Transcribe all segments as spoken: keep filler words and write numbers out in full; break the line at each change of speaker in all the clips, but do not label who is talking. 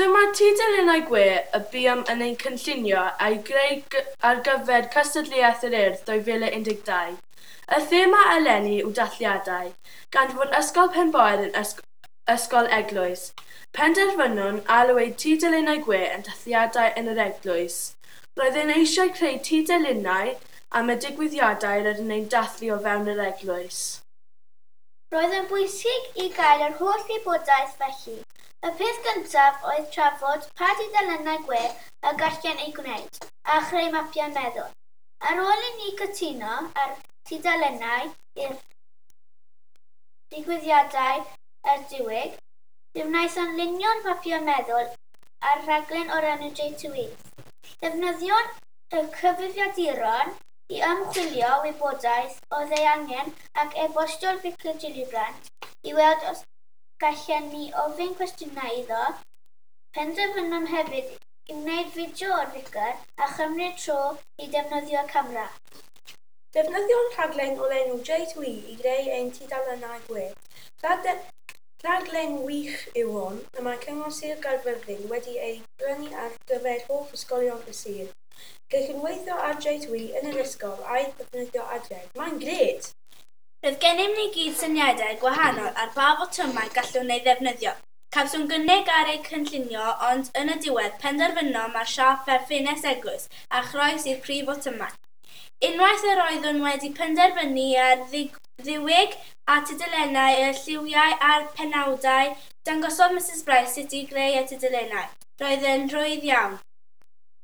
Dyma tudalennau gwe y buom yn ein cynllunio a'i greu ar gyfer cystadleuaeth yr Urdd dwy fil un deg dau. Y thema eleni yw dathliadau, gan fod Ysgol Penboyr yn ysg ysgol eglwys. Penderfynwn alw eu tudalennau gwe yn dathliadau yn yr eglwys. Roeddwn eisiau creu tudalennau am y digwyddiadau rydyn ni'n dathlu o fewn yr eglwys.
Roedd yn bwysig i gael yr holl wybodaeth felly. Y peth gyntaf oedd trafod pa dudalennau gwe y gallem eu gwneud, a chreu mapiau meddwl. Ar ôl i ni cytuno ar tudalennau i'r digwyddiadau a'r diwyg, fe wnaethon lunio'r mapiau meddwl ar rhaglen o'r enw J two E. Defnyddion y cyfrifiaduron i ymchwilio wybodaeth oedd ei angen ac e-bostio'r Vicar Gillibrand i weld os gallen ni ofyn cwestiynau iddo. Penderfynom hefyd i wneud fideo o'r Vicar a chymryd tro i defnyddio camera.
Defnyddio'n rhaglen o'r enw J two E i greu ein tudalennau gwe. Rhaglen wych yw hon, y mae Cyngor Sir Gaerfyrddin wedi ei brynu ar gyfer holl ysgolion y sir. Gallwn weithio ar J two E yn yr ysgol a'i ddefnyddio adref. Mae'n grêt!
Roedd gennym ni gyd syniadau gwahanol ar ba fotymau gallwn ei ddefnyddio. Cawsom gynnig ar eu cynllunio, ond yn y diwedd penderfynom ar siâp fel ffenest eglwys a chroes i'r prif fotymau. Unwaith yr oeddwn wedi penderfynu ar ddiwyg a tudalennau y lliwiau a'r penawdau, dangosodd Missus Bryce sut i greu y tudalennau. Roedd yn rhwydd iawn.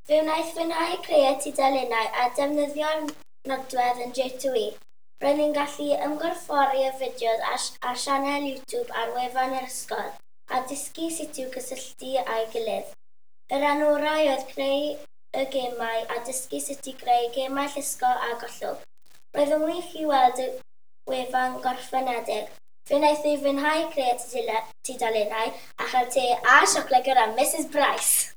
Fe wnaeth fwynhau creu y tudalennau a defnyddio'r nodwedd yn J two E. Roedd ni'n gallu ymgorffori y fideos ar, ar sianel YouTube ar wefan yr ysgol a dysgu sut i'w gysylltu â'i gilydd. Y rhan orau oedd creu y gemau a dysgu sut i greu gemau llusgo a gollwng. Roedd yn wych i weld y wefan gorffenedig. Fe wnaeth ei fwynhau creu tudalennau a chael te a siocled gyda Missus Bryce.